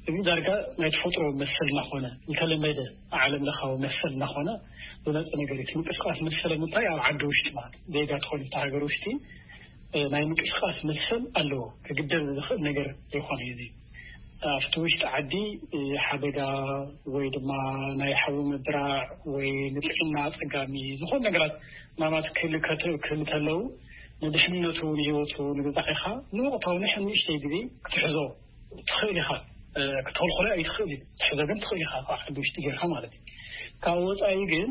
እዚ ዳርጋ ናይ ተፈጥሮ መሰል እናኾነ፣ ዝተለመደ ዓለም ለኻዊ መሰል እናኾነ ዝመፀ ነገር እዩ። እቲ ምንቅስቃስ መሰል ምንታይ? ኣብ ዓዲ ውሽጢ ማለት ዜጋ ትኾን እቲ ሃገር ውሽጢ ናይ ምንቅስቃስ መሰል ኣለዎ። ክግደብ ዝኽእል ነገር ይኾነ እዩ። እዚ ኣብቲ ውሽጢ ዓዲ ሓደጋ ወይ ድማ ናይ ሓዊ ምብራዕ ወይ ንጥዕና ኣፀጋሚ ዝኾኑ ነገራት ናማት ክህሉ ከለዉ፣ ንድሕንነቱ፣ ንህይወቱ፣ ንግዛዕ ኢኻ ንወቕታዊ ንሕን ንእሽተይ ግዜ ክትሕዞ ትኽእል ኢኻ። ክትኽልክሎ ኣይትኽእል እዩ፣ ትሕዞ ግን ትኽእል ኢኻ፣ ካብ ዓዲ ውሽጢ ጌርካ ማለት እዩ። ካብ ወፃኢ ግን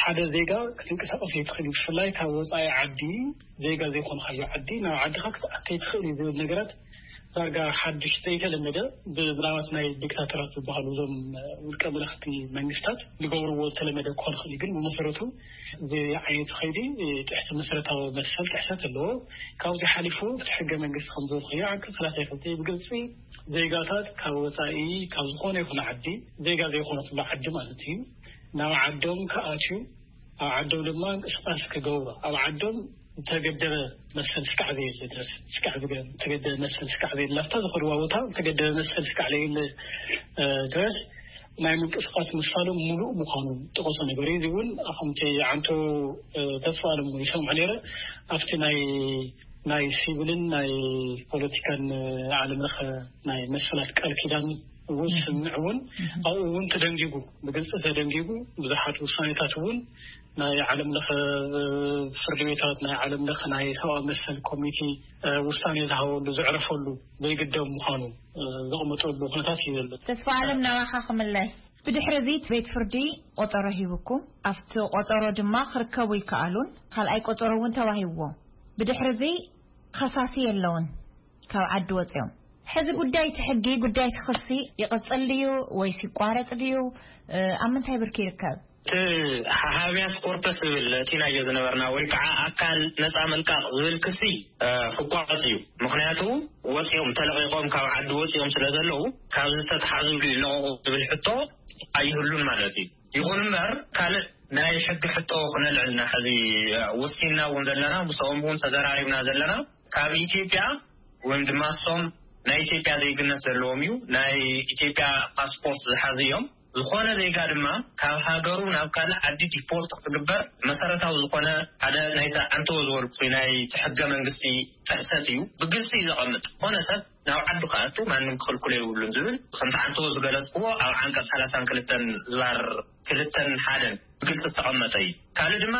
ሓደ ዜጋ ክትንቀሳቀስ ኣይትኽእል እዩ። ብፍላይ ካብ ወፃኢ ዓዲ፣ ዜጋ ዘይኮንካዮ ዓዲ ናብ ዓድኻ ክትኣቲ ኣይትኽእል እዩ ዝብል ነገራት ዳርጋ ሓድሽ ዘይተለመደ፣ ብምናልባት ናይ ዲክታተራት ዝበሃሉ እዞም ውልቀ መለኽቲ መንግስታት ዝገብርዎ ዝተለመደ ክኾን ይኽእል እዩ። ግን ብመሰረቱ እዚ ዓይነት ከይዲ ጥሕሲ መሰረታዊ መሰል ጥሕሰት ኣለዎ። ካብዚ ሓሊፉ እቲ ሕገ መንግስቲ ከም ዝብል ኮይኑ ዓንቀፅ ሰላሳ ክልተ ብግልፂ ዜጋታት ካብ ወፃኢ ካብ ዝኾነ ይኹን ዓዲ፣ ዜጋ ዘይኮነትሉ ዓዲ ማለት እዩ፣ ናብ ዓዶም ክኣትዩ፣ ኣብ ዓዶም ድማ እንቅስቃስ ክገብሩ፣ ኣብ ዓዶም ዝተገደበ መሰል ስካዕ ዘየለ ድረስ፣ ስካዕ ዝገ-፣ ዝተገደበ መሰል ስካዕ ዘየለ፣ ኣብታ ዝኸድዋ ቦታ ዝተገደበ መሰል ስካዕ ዘየለ ድረስ ናይ ምንቅስቃስ መሳሎም ሙሉእ ምዃኑ ዝጠቐሶ ነገር እዩ። እዚ እውን ከምቲ ዓንቶ ተስፋ ኣለም እውን ይሰምዖ ነይረ፣ ኣብቲ ናይ ናይ ሲቪልን ናይ ፖለቲካን ዓለም ለኸ ናይ መሰላት ቃል ኪዳን እውን ስምምዕ እውን ኣብኡ እውን ተደንጊጉ፣ ብግልፂ ተደንጊጉ፣ ብዙሓት ውሳኔታት እውን ናይ ዓለም ለኸ ፍርዲ ቤታት፣ ናይ ዓለም ለኸ ናይ ሰብኣዊ መሰል ኮሚቴ ውሳኔ ዝሃበሉ፣ ዘዕረፈሉ፣ ዘይግደብ ምዃኑ ዘቕመጠሉ ኩነታት እዩ ዘሎ። ተስፋ ኣለም፣ ናባኻ ክምለስ። ብድሕሪ እዚ ቤት ፍርዲ ቆጸሮ ሂቡኩም፣ ኣብቲ ቆጸሮ ድማ ክርከቡ ይከኣሉን ካልኣይ ቆጸሮ እውን ተዋሂብዎም። ብድሕሪ እዚ ከሳሲ የለውን፣ ካብ ዓዲ ወጺኦም። ሕዚ ጉዳይ እቲ ሕጊ፣ ጉዳይ እቲ ክሲ ይቕጽል ድዩ ወይስ ይቋረጽ ድዩ? ኣብ ምንታይ ብርኪ ይርከብ? እቲ ሃቢያስ ኮርፐስ ዝብል እቲናዮ ዝነበርና ወይ ከዓ ኣካል ነፃ ምልቃቕ ዝብል ክሲ ክቋረፅ እዩ። ምክንያቱ ወፂኦም ተለቂቆም ካብ ዓዲ ወፂኦም ስለ ዘለዉ ካብ ዝተተሓዙሉ ይለቀቁ ዝብል ሕቶ ኣይህሉን ማለት እዩ። ይኹን እምበር ካልእ ናይ ሕጊ ሕቶ ክነልዕልና ሕዚ ወሲንና እውን ዘለና ምስኦም እውን ተዘራሪብና ዘለና ካብ ኢትዮጵያ ወይም ድማ እሶም ናይ ኢትዮጵያ ዜግነት ዘለዎም እዩ ናይ ኢትዮጵያ ፓስፖርት ዝሓዙ እዮም። ዝኾነ ዜጋ ድማ ካብ ሃገሩ ናብ ካልእ ዓዲ ዲፖርት ክግበር መሰረታዊ ዝኾነ ሓደ ናይዛ ዓንተዎ ዝበልኩ ናይ ሕገ መንግስቲ ጥሕሰት እዩ። ብግልፂ እዩ ዘቐምጥ። ዝኾነ ሰብ ናብ ዓዱ ክኣቱ ማንም ክኽልክሎ የብሉን ዝብል ከምቲ ዓንተዎ ዝገለፅክዎ ኣብ ዓንቀፅ ሰላሳን ክልተን ዝባር ክልተን ሓደን ብግልፂ ዝተቐመጠ እዩ። ካልእ ድማ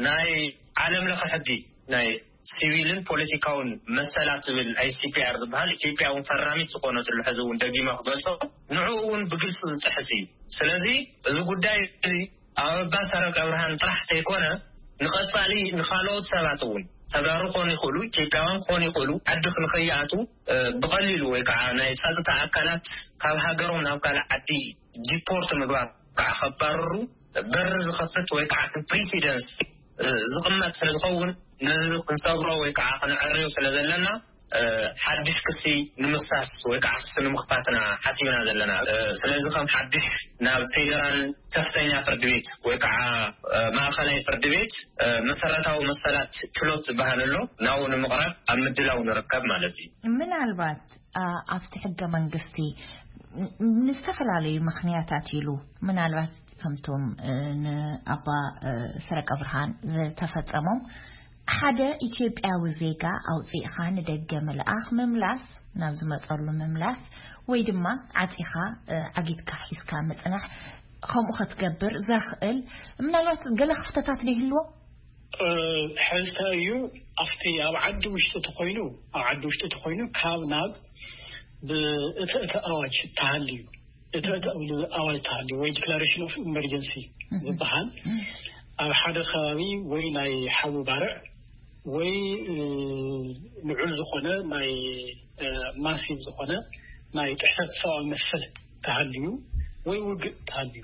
ናይ ዓለም ለኸ ሕጊ ናይ ሲቪልን ፖለቲካውን መሰላት ዝብል ኣይ ሲ ፒ ኣር ዝበሃል ኢትዮጵያ እውን ፈራሚት ዝኾነትሉ ሕዚ እውን ደጊመ ክገልፆ ንዕኡ እውን ብግልፂ ዝጥሕስ እዩ። ስለዚ እዚ ጉዳይ እዚ ኣብ ኣባ ሰረቀ ብርሃን ጥራሕ ተይኮነ ንቐፃሊ ንኻልኦት ሰባት እውን ተጋሩ ክኾኑ ይኽእሉ፣ ኢትዮጵያውያን ክኾኑ ይኽእሉ፣ ዓዲ ክንኸይኣቱ ብቐሊሉ ወይ ከዓ ናይ ፀጥታ ኣካላት ካብ ሃገሮም ናብ ካልእ ዓዲ ዲፖርት ምግባር ከዓ ከባርሩ በር ዝኸፍት ወይ ከዓ ፕሪሲደንስ ዝቕመጥ ስለ ዝኸውን ነዚ ክንሰብሮ ወይ ከዓ ክንዕርዮ ስለ ዘለና ሓድሽ ክሲ ንምፍሳስ ወይ ከዓ ክሲ ንምኽፋትና ሓሲብና ዘለና። ስለዚ ከም ሓድሽ ናብ ፌደራል ከፍተኛ ፍርዲ ቤት ወይ ከዓ ማእኸላይ ፍርዲ ቤት መሰረታዊ መሰላት ችሎት ዝበሃል ኣሎ፣ ናብኡ ንምቕራብ ኣብ ምድላው ንርከብ ማለት እዩ። ምናልባት ኣብቲ ሕገ መንግስቲ ንዝተፈላለዩ ምኽንያታት ኢሉ ምናልባት ከምቶም ንኣባ ሰረቀ ብርሃን ዝተፈጸሞም ሓደ ኢትዮጵያዊ ዜጋ ኣውፂእኻ ንደገ ምልኣኽ ምምላስ ናብ ዝመፀሉ ምምላስ ወይ ድማ ዓፂኻ ዓጊትካ ሒዝካ ምፅናሕ ከምኡ ክትገብር ዘኽእል ምናልባት ገለ ክፍተታት ዶ ይህልዎ? ሕዝታ እዩ ኣብቲ ኣብ ዓዲ ውሽጢ ተኮይኑ ኣብ ዓዲ ውሽጢ ተኮይኑ ካብ ናብ ብእተ እተ ኣዋጅ ተሃልዩ እተ እተ ኣዋጅ ተሃልዩ ወይ declaration of emergency ዝበሃል ኣብ ሓደ ከባቢ ወይ ናይ ሓዊ ባርዕ ወይ ልዑል ዝኾነ ናይ massive ዝኾነ ናይ ጥሕሰት ሰብኣዊ መሰል ተሃልዩ ወይ ውግእ ተሃልዩ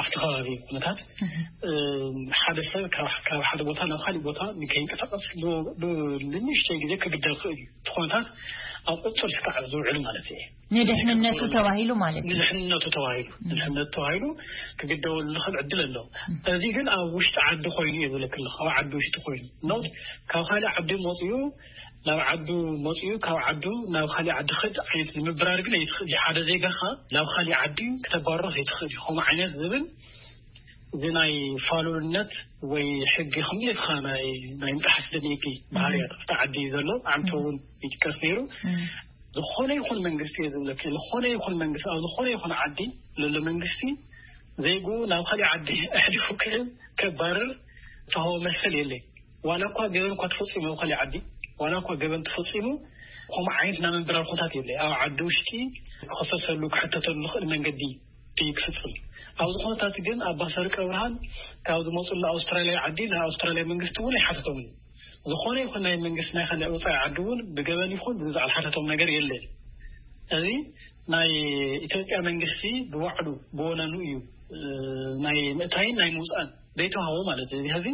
ኣብቲ ከባቢ ኩነታት ሓደ ሰብ ካብ ሓደ ቦታ ናብ ካሊእ ቦታ ንከይንቀሳቀስ ንንእሽተይ ግዜ ክግደል ክእል እዩ። እቲ ኩነታት ኣብ ቁፅር ስካዕ ዝውዕል ማለት እዩ። ንድሕንነቱ ተባሂሉ ማለት እዩ። ንድሕንነቱ ተባሂሉ ንድሕንነቱ ተባሂሉ ክግደበሉ ዝኽእል ዕድል ኣሎ። እዚ ግን ኣብ ውሽጢ ዓዲ ኮይኑ እዩ ዝብለክ ኣለኹ። ኣብ ዓዲ ውሽጢ ኮይኑ ኖት ካብ ካሊእ ዓዲ መፅኡ ናብ ዓዱ መፅኡ ካብ ዓዱ ናብ ካሊእ ዓዲ ክድ ዓይነት ንምብራር ግን ኣይትኽእል እዩ። ሓደ ዜጋኻ ናብ ካሊእ ዓዲ ክተባርሮ ዘይትኽእል እዩ። ከምኡ ዓይነት ዝብል እዚ ናይ ፋሉልነት ወይ ሕጊ ከምሌትካ ናይ ናይ ምጥሓስ ደኒቂ ባህርያት ኣብቲ ዓዲ ዘሎ ዓምቶ እውን ይጥቀስ ነይሩ። ዝኾነ ይኹን መንግስቲ እየ ዝብለካ ዝኾነ ይኹን መንግስቲ ኣብ ዝኾነ ይኹን ዓዲ ዘሎ መንግስቲ ዜጉ ናብ ካሊእ ዓዲ ኣሕሊፉ ክህብ ከባርር ተሃወ መሰል የለይ። ዋላ እኳ ገበን እኳ ተፈፂሙ ኣብ ካሊእ ዓዲ ዋላ እኳ ገበን ተፈፂሙ ከምኡ ዓይነት ናይ ምንብራር ኩነታት የለ ኣብ ዓዲ ውሽጢ ክኸሰሰሉ ክሕተተሉ ዝኽእል መንገዲ እዩ ክፍፅም። ኣብዚ ኩነታት ግን ኣባ ሰርቀ ብርሃን ካብ ዝመፁሉ ኣውስትራልያ ዓዲ ናይ ኣውስትራልያ መንግስቲ እውን ኣይሓተቶምን። ዝኾነ ይኹን ናይ መንግስቲ ናይ ካልእ ወፃኢ ዓዲ እውን ብገበን ይኹን ብዝዛዕ ዝሓተቶም ነገር የለን። እዚ ናይ ኢትዮጵያ መንግስቲ ብባዕሉ ብወነኑ እዩ ናይ ምእታይን ናይ ምውፃእን ዘይተዋህቦ ማለት እዩ። እዚ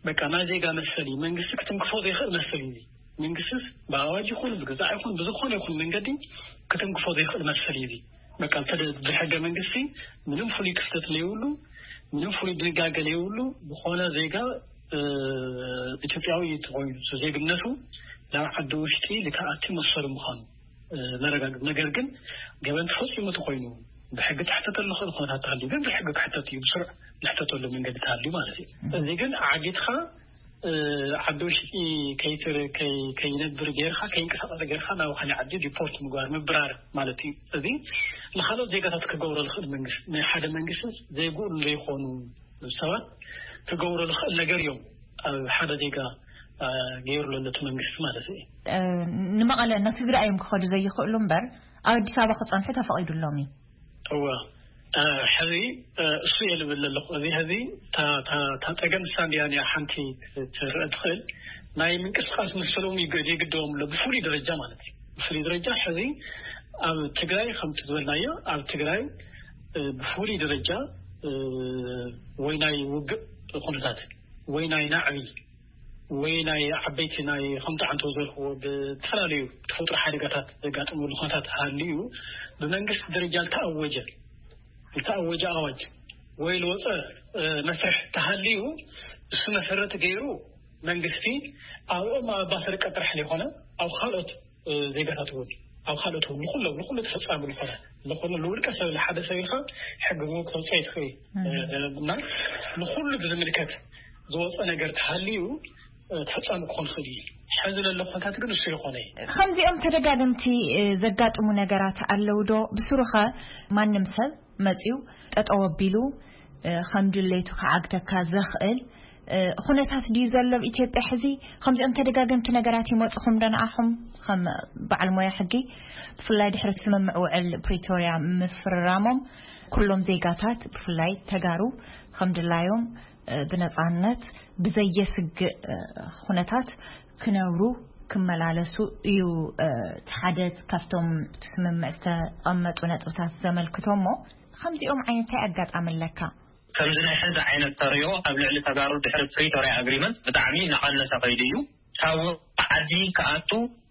በቃ ናይ ዜጋ መሰል እዩ። መንግስቲ ክትንክፎ ዘይኽእል መሰል እዩ። መንግስቲስ ብኣዋጅ ይኹን ብግዛዕ ይኹን ብዝኾነ ይኹን መንገዲ ክትንክፎ ዘይኽእል መሰል እዩ። በቃ ብሕገ መንግስቲ ምንም ፍሉይ ክፍተት ለይብሉ ምንም ፍሉይ ድንጋገ ለይብሉ ዝኾነ ዜጋ ኢትዮጵያዊ ተኮይኑ ዜግነቱ ናብ ዓዲ ውሽጢ ልክኣቲ መሰሉ ምዃኑ ዘረጋግጥ ነገር ግን ገበን ተፈፂሙ ተኮይኑ ብሕጊ ትሕተተሉ ክእል ኩነታት ተሃልዩ ግን ብሕጊ ክሕተት እዩ ብስሩዕ ዝሕተተሉ መንገዲ ተሃልዩ ማለት እዩ። እዚ ግን ዓጊትካ ዓዲ ውሽጢ ከይነብር ጌርካ ከይንቀሳቀስ ጌርካ ናብ ካልእ ዓዲ ዲፖርት ምግባር ምብራር ማለት እዩ። እዚ ንካልኦት ዜጋታት ክገብሮ ዝክእል መንግስቲ ናይ ሓደ መንግስቲ ዜግኡ ዘይኮኑ ሰባት ክገብሮ ዝክእል ነገር እዮም ኣብ ሓደ ዜጋ ገይሩ ዘሎ እቲ መንግስቲ ማለት እዩ። ንመቐለ ናብ ትግራይ እዮም ክኸዱ ዘይኽእሉ እምበር ኣብ ኣዲስ ኣበባ ክፀንሑ ተፈቒዱሎም እዩ። እወ ሕዚ እሱ እየ ልብል ኣለኹ። እዚ ሕዚ እታ ጸገም ንሳ እንድያ እያ ሓንቲ ክትረአ ትኽእል። ናይ ምንቅስቃስ መሰሎም የግድዎም ኣሎ ብፍሉይ ደረጃ ማለት እዩ። ብፍሉይ ደረጃ ሕዚ ኣብ ትግራይ ከምቲ ዝበልናዮ ኣብ ትግራይ ብፍሉይ ደረጃ ወይ ናይ ውግእ ኩነታት ወይ ናይ ናዕቢ ወይ ናይ ዓበይቲ ናይ ከምቲ ዓንቶ ዝበልክዎ ብዝተፈላለዩ ተፈጥሮ ሓደጋታት ዘጋጥመሉ ኩነታት ሃልዩ ብመንግስቲ ደረጃ ዝተኣወጀ ዝተኣወጀ ኣዋጅ ወይ ዝወፀ መስርሕ ተሃልዩ እሱ መሰረት ገይሩ መንግስቲ ኣብኦም ኣብ ኣባሰር ቀጥራሕ ዘይኮነ ኣብ ካልኦት ዜጋታት እውን ኣብ ካልኦት እውን ንኩሎም ንኩሉ ተፈፃሚ ዝኾነ ንኩሉ ንውልቀ ሰብ ንሓደ ሰብ ኢልካ ሕጊ እውን ክተውፅኦ ይትኽእል እና ንኩሉ ብዝምልከት ዝወፀ ነገር ተሃልዩ ተፈፃሚ ክኾን ይኽእል እዩ። ሕዚ ዘሎ ኩነታት ግን እሱ ይኾነ እዩ። ከምዚኦም ተደጋገምቲ ዘጋጥሙ ነገራት ኣለዉ ዶ? ብስሩኸ ማንም ሰብ መፅዩ ጠጠው ኣቢሉ ከም ድሌቱ ክዓግተካ ዘኽእል ኩነታት ድዩ ዘሎ ኣብ ኢትዮጵያ ሕዚ? ከምዚኦም ተደጋገምቲ ነገራት ይመፁኹም ዶ ንኣኹም ከም በዓል ሞያ ሕጊ? ብፍላይ ድሕሪ ስምምዕ ውዕል ፕሪቶርያ ምፍርራሞም ኩሎም ዜጋታት ብፍላይ ተጋሩ ከም ድላዮም ብነፃነት ብዘየስግእ ኩነታት ክነብሩ ክመላለሱ እዩ እቲ ሓደ ካብቶም እቲ ስምምዕ ዝተቐመጡ ነጥብታት ዘመልክቶ እሞ ከምዚኦም ዓይነት እንታይ ኣጋጣሚ ኣለካ? ከምዚ ናይ ሕዚ ዓይነት ተርእዮ ኣብ ልዕሊ ተጋሩ ድሕሪ ፕሪቶርያ ኣግሪመንት ብጣዕሚ እናቐነሰ ከይዱ እዩ። ካብ ዓዲ ክኣቱ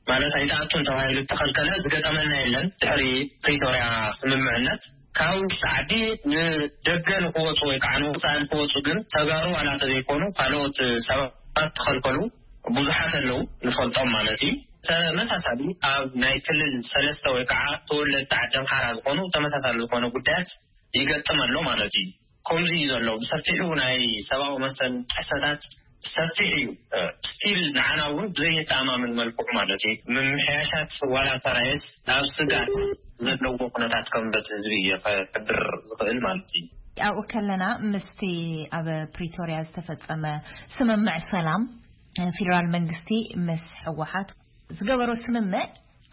ማለት ኣይትኣቱን ተባሂሉ ዝተኸልከለ ዝገጠመና የለን። ድሕሪ ፕሪቶርያ ስምምዕነት ካብ ውሽጢ ዓዲ ንደገ ንክወፁ ወይ ከዓ ንወፃኢ ንክወፁ ግን ተጋሩ ዋላ ተዘይኮኑ ካልኦት ሰባት ተኸልከሉ ብዙሓት ኣለዉ፣ ንፈልጦም ማለት እዩ። ተመሳሳሊ ኣብ ናይ ክልል ሰለስተ ወይ ከዓ ተወለድቲ ዓዲ ኣምሓራ ዝኾኑ ተመሳሳሊ ዝኾነ ጉዳያት ይገጥም ኣሎ ማለት እዩ። ከምዚ እዩ ዘሎ። ብሰፊሑ ናይ ሰብኣዊ መሰል ጥሕሰታት ሰፊሕ እዩ። ስቲል ንዓና እውን ብዘየተኣማምን መልክዑ ማለት እዩ፣ ምምሕያሻት ዋላ ተራየስ ናብ ስጋት ዘለዎ ኩነታት ከም በቲ ህዝቢ እዩ ከሕብር ዝኽእል ማለት እዩ። ኣብኡ ከለና ምስቲ ኣብ ፕሪቶርያ ዝተፈጸመ ስምምዕ ሰላም፣ ፌደራል መንግስቲ ምስ ህወሓት ዝገበሮ ስምምዕ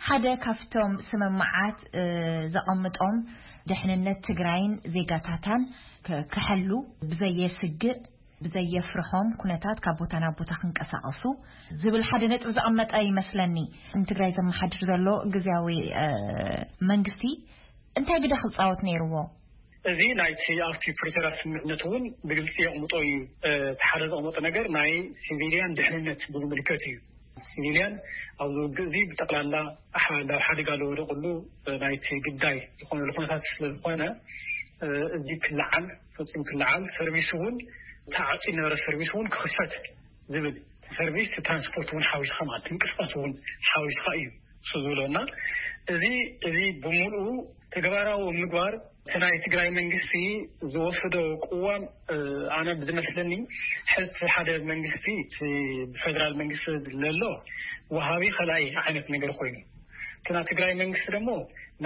ሓደ ካብቶም ስምምዓት ዘቐምጦም ድሕንነት ትግራይን ዜጋታታን ክሕሉ ብዘየስግእ ብዘየፍርሖም ኩነታት ካብ ቦታ ናብ ቦታ ክንቀሳቐሱ ዝብል ሓደ ነጥቢ ዘቐመጠ ይመስለኒ። ንትግራይ ዘመሓድር ዘሎ ግዝያዊ መንግስቲ እንታይ ግደ ክፃወት ነይርዎ? እዚ ናይቲ ኣብቲ ፕሪቶርያ ስምምዕነት እውን ብግልፂ የቕምጦ እዩ። እቲ ሓደ ዘቕመጦ ነገር ናይ ሲቪልያን ድሕንነት ብዝምልከት እዩ። ሲቪልያን ኣብዚ ውግእ እዚ ብጠቕላላ ናብ ሓደጋ ዝወደቕሉ ናይቲ ግዳይ ዝኾነሉ ኩነታት ስለዝኾነ፣ እዚ ክለዓል፣ ፈፂሙ ክለዓል፣ ሰርቪስ እውን ተዓፂ ዝነበረ ሰርቪስ እውን ክኽፈት ዝብል፣ ሰርቪስ ትራንስፖርት እውን ሓዊስካ ማለት ምንቅስቃስ እውን ሓዊስካ እዩ እሱ ዝብሎ። እና እዚ እዚ ብምሉኡ ተግባራዊ ምግባር እቲ ናይ ትግራይ መንግስቲ ዝወሰዶ ቅዋም፣ ኣነ ብዝመስለኒ ሕዚ ሓደ መንግስቲ እቲ ብፌደራል መንግስቲ ዘሎ ወሃቢ ከላይ ዓይነት ነገር ኮይኑ፣ እቲ ናይ ትግራይ መንግስቲ ደግሞ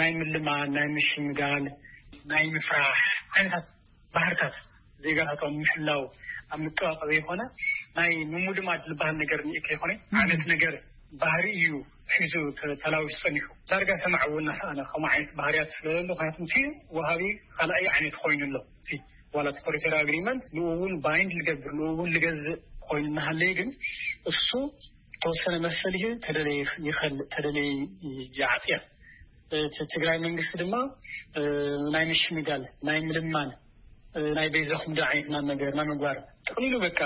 ናይ ምልማን፣ ናይ ምሽምጋል፣ ናይ ምፍራሕ ዓይነታት ባህርታት ዜጋታቶም ምሕላው ኣብ ምጥባቕ ዘይኮነ ናይ ምሙድማድ ዝበሃል ነገር እኒኤ ከይኮነ ዓይነት ነገር ባህሪ እዩ ሒዙ ተላዊሱ ጸኒሑ። ዳርጋ ሰማዕ እውን እናሰኣነ ከምኡ ዓይነት ባህርያት ስለዘሎ፣ ምክንያቱ እቲ ወሃቢ ካልኣይ ዓይነት ኮይኑ ኣሎ። እቲ ዋላ እቲ ፕሪቶርያ ኣግሪመንት ንኡ እውን ባይንድ ዝገብር፣ ንኡ እውን ዝገዝእ ኮይኑ እናሃለየ ግን እሱ ዝተወሰነ መሰል ይህብ፣ ተደለየ ይኸልእ፣ ተደለየ ይዓፅያ። እቲ ትግራይ መንግስቲ ድማ ናይ ምሽምጋል፣ ናይ ምልማን፣ ናይ በይዛኹም ዶ ዓይነት ናብ ነገር ናብ ምግባር ጥቕሊሉ በቃ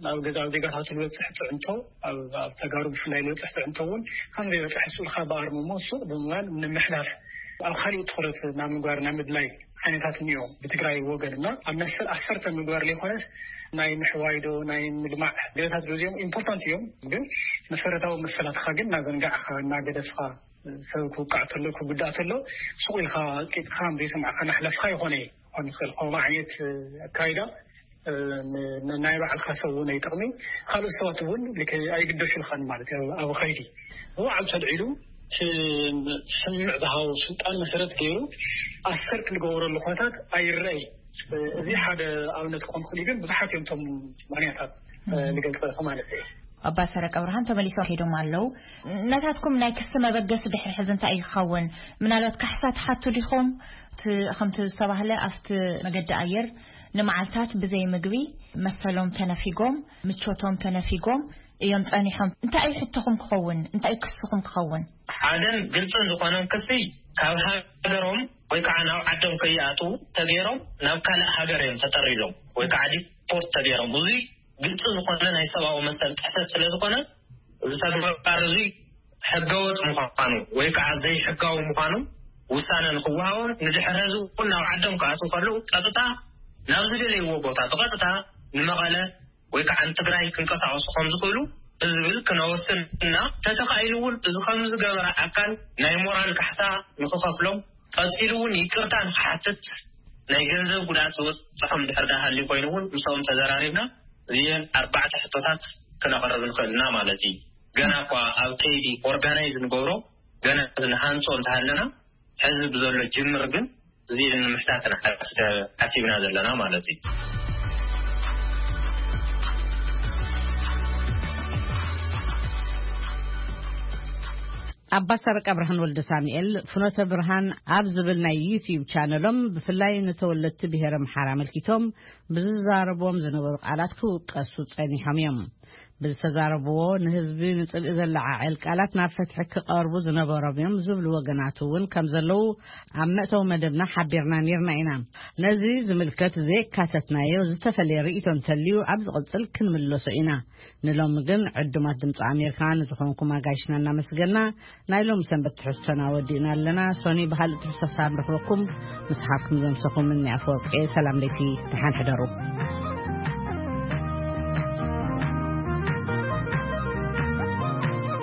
ናብ ገዛ ኣብ ዜጋታቱ ዝበፅሕ ፅዕንቶ፣ ኣብ ተጋሩ ብፍላይ ዝበፅሕ ፅዕንቶ እውን ከም ዘይበፅሕ ስኡልካ ብኣርምሞ ሱቕ ብምባል ንምሕላፍ ኣብ ካሊእ ትኹረት ናብ ምግባር ናብ ምድላይ ዓይነታት እኒኦ ብትግራይ ወገን። እና ኣብ መሰል ኣሰርተ ምግባር ዘይኮነስ ናይ ምሕዋይዶ ናይ ምልማዕ ገለታት እዚኦም ኢምፖርታንት እዮም፣ ግን መሰረታዊ መሰላትካ ግን እናዘንጋዕካ እናገደፍካ ሰብ ክውቃዕ ተሎ ክጉዳእ ተሎ ሱቕ ኢልካ ኣፅቂጥካ ዘይሰማዕካ እናሕለፍካ ይኾነ ይኾን ይኽእል። ከምኡ ዓይነት ኣካይዳ ናይ ባዕልካ ሰብ እውን ኣይጠቕሚ፣ ካልኦት ሰባት እውን ኣይግደሹልካን ማለት እዩ። ኣብ ኸይዲ ብባዕሉ ተልዒሉ ስምምዕ ዝሃቦ ስልጣን መሰረት ገይሩ ኣሰር ክልገብረሉ ኩነታት ኣይረኣይ። እዚ ሓደ ኣብነት ክኾን ክእል ግን ብዙሓት እዮም እቶም ምክንያታት ልገልፀ ማለት እዩ። ኣባ ሰረቀ ብርሃን ተመሊሶም ከይዶም ኣለዉ። ነታትኩም ናይ ክሲ መበገሲ ድሕሪ ሕዚ እንታይ እዩ ክኸውን? ምናልባት ካሕሳ ትሓቱ ዲኹም? እቲ ከምቲ ዝተባህለ ኣብቲ መገዲ ኣየር ንመዓልታት ብዘይ ምግቢ መሰሎም ተነፊጎም፣ ምቾቶም ተነፊጎም እዮም ጸኒሖም። እንታይ እዩ ሕቶኹም ክኸውን? እንታይ እዩ ክስኹም ክኸውን? ሓደን ግልጽን ዝኾነን ክሲ ካብ ሃገሮም ወይ ከዓ ናብ ዓዶም ከይኣትዉ ተገይሮም ናብ ካልእ ሃገር እዮም ተጠሪዞም ወይ ከዓ ዲፖርት ተገይሮም። እዙይ ግልፂ ዝኾነ ናይ ሰብኣዊ መሰል ጥሕሰት ስለ ዝኾነ፣ እዚ ተግባር እዚ ሕገወጥ ምዃኑ ወይ ከዓ ዘይሕጋዊ ምዃኑ ውሳነ ንክወሃቦም፣ ንድሕሪ ሕዚ እውን ናብ ዓዶም ክኣትዉ ከለዉ ቀጥታ ናብ ዝደለይዎ ቦታ ብቐጥታ ንመቐለ ወይ ከዓ ንትግራይ ክንቀሳቐሱ ከም ዝኽእሉ ብዝብል ክነወስን እና ተተኻኢሉ እውን እዚ ከም ዝገበረ ኣካል ናይ ሞራል ካሕሳ ንክኸፍሎም፣ ቀፂሉ እውን ይቅርታ ንክሓትት፣ ናይ ገንዘብ ጉድኣት ዝበፅሖም ድሕር ዳሃሊ ኮይኑ እውን ምስኦም ተዘራሪብና እዚአን ኣርባዕተ ሕቶታት ክነቕርብ ንኽእል ኢና ማለት እዩ። ገና እኳ ኣብ ከይዲ ኦርጋናይዝ ንገብሮ ገና ንሃንፆ እንተሃለና ሕዚ ብዘሎ ጅምር ግን እዚአን ንምሕታት ኢና ሓሲብና ዘለና ማለት እዩ። ኣባ ሰረቀ ብርሃን ወልደ ሳሙኤል ፍኖተ ብርሃን ኣብ ዝብል ናይ ዩትዩብ ቻነሎም ብፍላይ ንተወለድቲ ብሄረ ምሓር ኣመልኪቶም ብዝዛረብዎም ዝነበሩ ቃላት ክውቀሱ ጸኒሖም እዮም። ዝተዛረብዎ ንህዝቢ ንጽልኢ ዘለዓዕል ቃላት ናብ ፍትሒ ክቐርቡ ዝነበሮም እዮም ዝብሉ ወገናት እውን ከም ዘለዉ ኣብ መእተዊ መደብና ሓቢርና ነርና ኢና። ነዚ ዝምልከት ዘየካተትናዮ ዝተፈለየ ርእይቶ እንተልዩ ኣብ ዝቕጽል ክንምለሶ ኢና። ንሎሚ ግን ዕዱማት ድምፂ ኣሜሪካ ንዝኾንኩም ኣጋይሽና እናመስገና ናይ ሎሚ ሰንበት ትሕዝቶና ወዲእና ኣለና። ሶኒ ብካልእ ትሕዝቶ ሳብ ንረኽበኩም። ምስሓኩም ዘምሰኹም እኒ ኣፈወርቂ። ሰላም ለይቲ፣ ደሓን ሕደሩ።